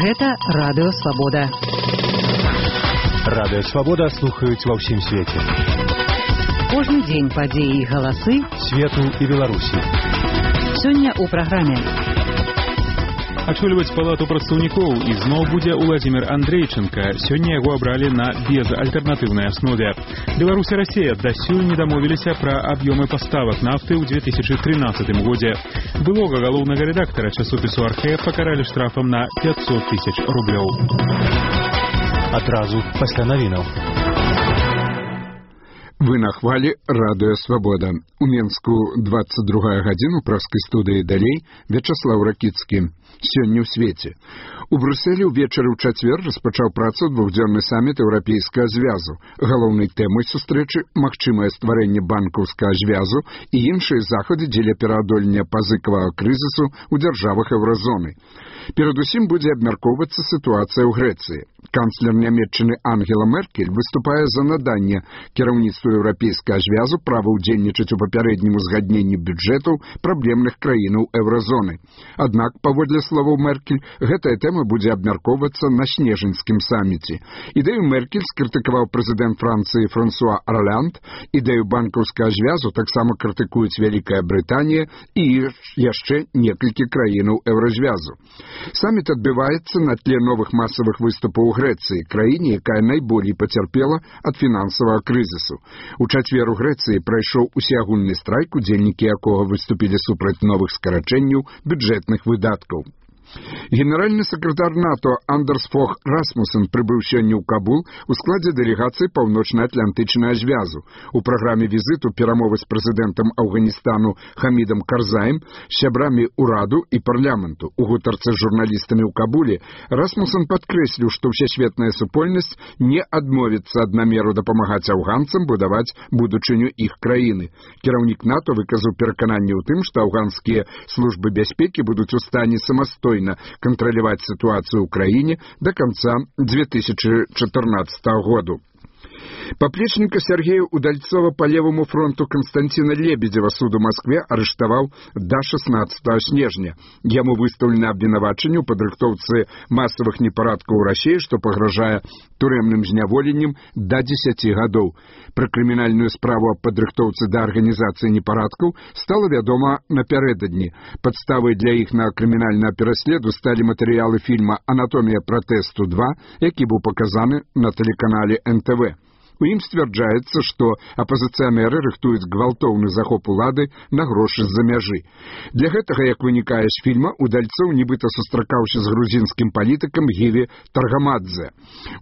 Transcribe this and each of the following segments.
Гэта Радыё Свабода. Радыё Свабода слухаюць ва ўсім свеце. Кожны дзень падзеі і галасы свету і Беларусі. Сёння ў праграме. Ачольваць палату прадстаўнікоў ізноў будзе Уладзімір Андрейченка. Сёння яго абралі на безальтэрнатыўнай аснове. Беларусь і Расія дасюль не дамовіліся пра аб'ёмы паставак нафты ў 2013 годзе. Былога галоўнага рэдактара часопісу «Архэ» пакаралі штрафам на 500 000 рублёў. Адразу пасля навінаў. Вы на хвалі Радыё Свабода. У Менску 22 гадзіну праскай студыі далей Вячаслаў Ракіцкі. Сёння ў свеце. У Брюсселі ўвечары ў чацвер распачаў працу двухдзённы саміт еўрапейскага звязу. Галоўнай тэмай сустрэчы магчымае стварэнне банкаўскага звязу і іншыя захады дзеля пераадолення пазыкавага крызісу ў дзяржавах еўразоны. Перадусім будзе абмяркоўвацца сітуацыя ў Грэцыі. Канцлер Нямецчыны Ангела Меркель выступае за наданне кіраўніцтву еўрапейскага звязу права ўдзельнічаць у папярэднім узгадненні бюджэтаў праблемных краінаў еўразоны. Аднак, паводле словаў Меркель, гэтая тэма будзе абмяркоўвацца на снежаньскім саміце. Ідэю Меркель скрытыкаваў прэзідэнт Францыі Франсуа Орланд, ідэю банкаўскага звязу таксама крытыкуюць Вялікая Брытанія і яшчэ некалькі краінаў еўразвязу. Саміт адбываецца на тле новых масавых выступаў у Грэцыі, краіне, якая найболей пацярпела ад фінансавага крызісу. У чацвер у Грэцыі прайшоў усеагульны страйк, удзельнікі якога выступілі супраць новых скарачэнняў бюджэтных выдаткаў. Генеральны сакратар НАТО Андерс Фог Расмуссен прыбыў сёння ў Кабул у складзе дэлегацыі Паўночна-Атлантычнага звязу. У праграме візіту перамовы з прэзідэнтам Афганістану Хамідам Карзаем, сябрамі ўраду і парламенту. У гутарцы з журналістамі ў Кабуле Расмуссен падкрэсліў, што ўсесветная супольнасць не адмовіцца ад намеру дапамагаць афганцам будаваць будучыню іх краіны. Кіраўнік НАТО выказаў перакананне ў тым, што афганскія службы бяспекі будуць у стане самастойна контролировать ситуацию в Украине до конца 2014 года. Поплечника Сергея Удальцова по левому фронту Константина Лебедева суд у Москве арыштаваў до 16 снежня. Яму выстаўлена абвінавачанне ў падрыхтоўцы масавых непарадкаў у Расіі, што пагражае турэмным зняволеннем до 10 гадоў. Пра крымінальную справу аб падрыхтоўцы да арганізацыі непарадкаў стала вядома напярэдадні. Падставай для іх на крымінальнага пераследу сталі матэрыялы фільма «Анатомія пратэсту 2», які быў паказаны на тэлеканале НТВ. У ім сцвярджаецца, што апазіцыянеры рыхтуюць гвалтоўны захоп улады на грошы з-за мяжы. Для гэтага, як вынікае з фільма, Удальцоў нібыта сустракаўся з грузінскім палітыкам Гіві Таргамадзе.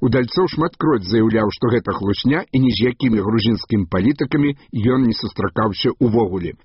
Удальцоў шматкроць заяўляў, што гэта хлусня і ні з якімі грузінскімі палітыкамі ён не сустракаўся увогуле.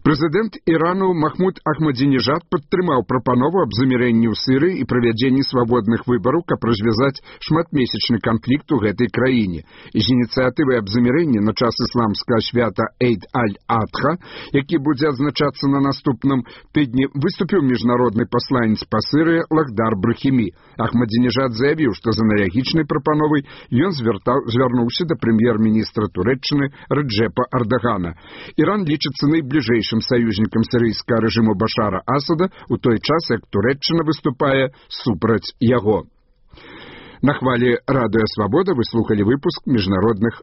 Прэзідэнт Ірану Махмуд Ахмадзінежад падтрымаў прапанову аб замірэнні ў Сірыі і правядзенні свабодных выбараў, каб развязаць шматмесячны канфлікт у гэтай краіне. З ініцыятывай аб замірэнні на час ісламскага свята Эйд-аль-Адха, які будзе адзначацца на наступным тыдні, выступіў міжнародны пасланец па Сірыі Лахдар Брахімі. Ахмадзінежад заявіў, што з аналагічнай прапановай ён звярнуўся да прэм'ер-міністра Турэччыны Рэджэпа Ардагана. Іран лічыцца найбліжэйшым саюзнікам сірыйскага рэжыму Башара Асада у той час, як Турэччына выступае супраць яго. На хвалі Радыё Свабода вы слухалі выпуск міжнародных